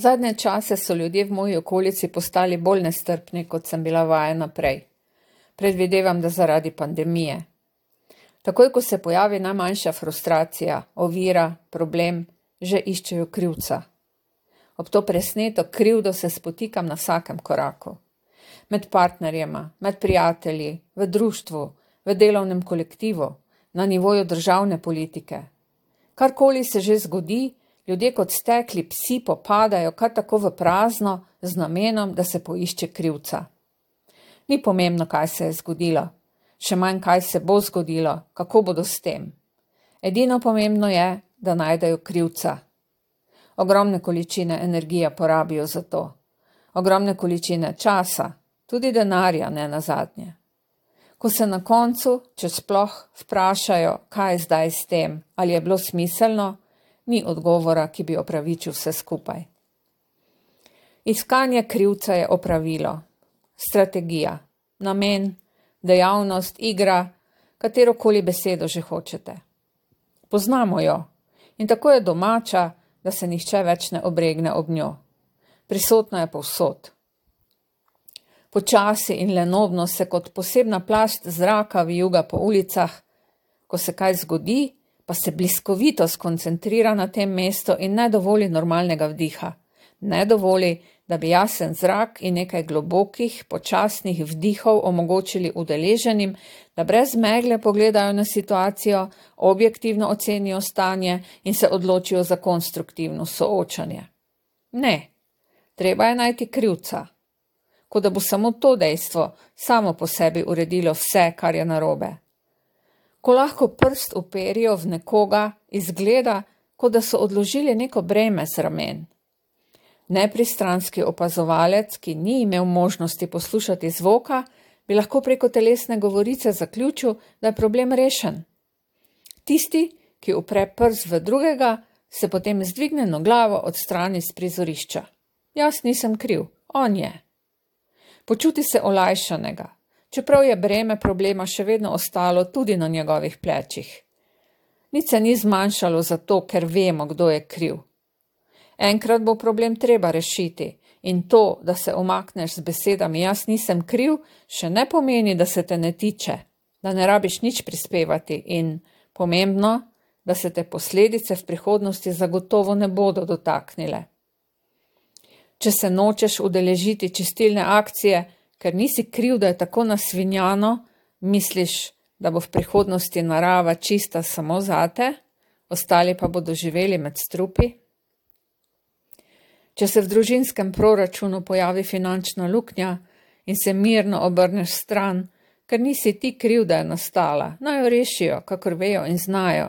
Zadnje čase so ljudje v moji okolici postali bolj nestrpni, kot sem bila vajena prej. Predvidevam, da zaradi pandemije. Takoj, ko se pojavi najmanjša frustracija, ovira, problem, že iščejo krivca. Ob to presneto krivdo se spotikam na vsakem koraku. Med partnerjema, med prijatelji, v društvu, v delovnem kolektivu, na nivoju državne politike. Karkoli se že zgodi, ljudje kot stekli psi popadajo kar tako v prazno z namenom, da se poišče krivca. Ni pomembno, kaj se je zgodilo, še manj kaj se bo zgodilo, kako bodo s tem. Edino pomembno je, da najdejo krivca. Ogromne količine energije porabijo za to. Ogromne količine časa, tudi denarja ne nazadnje. Ko se na koncu, če sploh, vprašajo, kaj je zdaj s tem, ali je bilo smiselno, ni odgovora, ki bi opravičil vse skupaj. Iskanje krivca je opravilo, strategija, namen, dejavnost, igra, katerokoli besedo že hočete. Poznamo jo in tako je domača, da se nihče več ne obregne ob njo. Prisotna je povsod. Počasi in lenobno se kot posebna plast zraka vijuga po ulicah, ko se kaj zgodi, pa se bliskovito skoncentrira na tem mestu in ne dovoli normalnega vdiha. Ne dovoli, da bi jasen zrak in nekaj globokih, počasnih vdihov omogočili udeleženim, da brez megle pogledajo na situacijo, objektivno ocenijo stanje in se odločijo za konstruktivno soočanje. Ne, treba je najti krivca. Kot da bo samo to dejstvo samo po sebi uredilo vse, kar je narobe. Ko lahko prst uperijo v nekoga, izgleda, kot da so odložili neko breme z ramen. Nepristranski opazovalec, ki ni imel možnosti poslušati zvoka, bi lahko preko telesne govorice zaključil, da je problem rešen. Tisti, ki upre prst v drugega, se potem z dvignjeno glavo odstrani s prizorišča. Jaz nisem kriv, on je. Počuti se olajšanega, čeprav je breme problema še vedno ostalo tudi na njegovih plečih. Nič se ni zmanjšalo zato, ker vemo, kdo je kriv. Enkrat bo problem treba rešiti in to, da se umakneš z besedami jaz nisem kriv, še ne pomeni, da se te ne tiče, da ne rabiš nič prispevati in, pomembno, da se te posledice v prihodnosti zagotovo ne bodo dotaknile. Če se nočeš udeležiti čistilne akcije, ker nisi kriv, da je tako nasvinjano, misliš, da bo v prihodnosti narava čista samo zate, ostali pa bodo živeli med strupi? Če se v družinskem proračunu pojavi finančna luknja in se mirno obrneš stran, ker nisi ti kriv, da je nastala, naj jo rešijo, kakor vejo in znajo.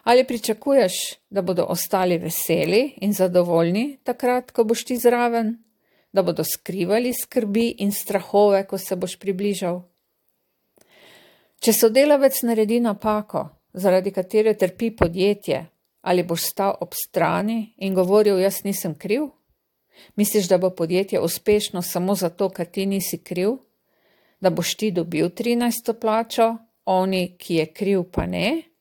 Ali pričakuješ, da bodo ostali veseli in zadovoljni takrat, ko boš ti zraven? Da bodo skrivali skrbi in strahove, ko se boš približal? Če sodelavec naredi napako, zaradi katere trpi podjetje, ali boš stal ob strani in govoril, jaz nisem kriv? Misliš, da bo podjetje uspešno samo zato, ker ti nisi kriv? Da boš ti dobil 13. plačo, oni, ki je kriv, pa ne?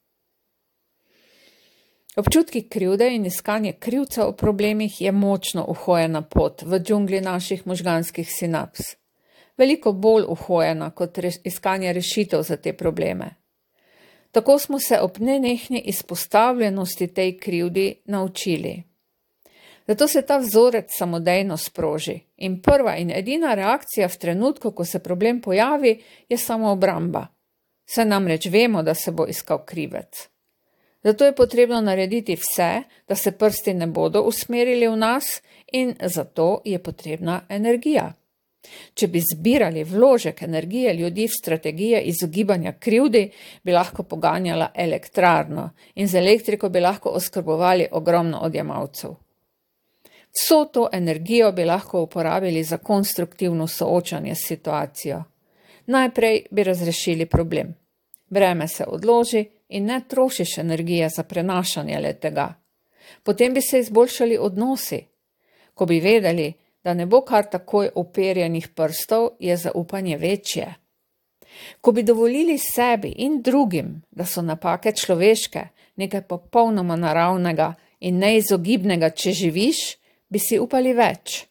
Občutki krivde in iskanje krivca v problemih je močno uhojena pot v džungli naših možganskih sinaps. Veliko bolj uhojena kot iskanje rešitev za te probleme. Tako smo se ob nenehni izpostavljenosti tej krivdi naučili. Zato se ta vzorec samodejno sproži in prva in edina reakcija v trenutku, ko se problem pojavi, je samoobramba. Saj namreč vemo, da se bo iskal krivec. Zato je potrebno narediti vse, da se prsti ne bodo usmerili v nas in zato je potrebna energija. Če bi zbirali vložek energije ljudi v strategije izogibanja krivdi, bi lahko poganjala elektrarno in z elektriko bi lahko oskrbovali ogromno odjemalcev. Vso to energijo bi lahko uporabili za konstruktivno soočanje s situacijo. Najprej bi razrešili problem. Breme se odloži in ne trošiš energije za prenašanje le-tega. Potem bi se izboljšali odnosi. Ko bi vedeli, da ne bo kar takoj uperjenih prstov, je zaupanje večje. Ko bi dovolili sebi in drugim, da so napake človeške, nekaj popolnoma naravnega in neizogibnega, če živiš, bi si upali več.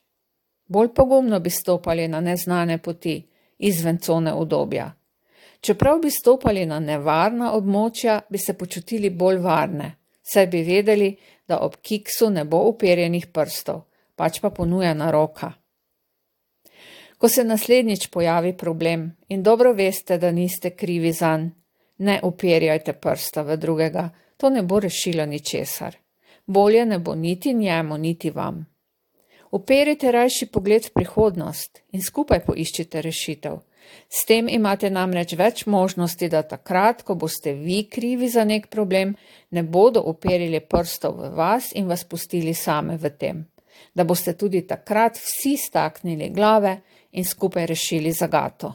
Bolj pogumno bi stopali na neznane poti, izven cone udobja. Čeprav bi stopali na nevarna območja, bi se počutili bolj varne, saj bi vedeli, da ob kiksu ne bo uperjenih prstov, pač pa ponujena roka. Ko se naslednjič pojavi problem in dobro veste, da niste krivi zanj, ne uperjajte prsta v drugega, to ne bo rešilo ničesar. Bolje ne bo niti njemu, niti vam. Uperite rajši pogled v prihodnost in skupaj poiščite rešitev. S tem imate namreč več možnosti, da takrat, ko boste vi krivi za nek problem, ne bodo uperili prstov v vas in vas pustili same v tem. Da boste tudi takrat vsi staknili glave in skupaj rešili zagato.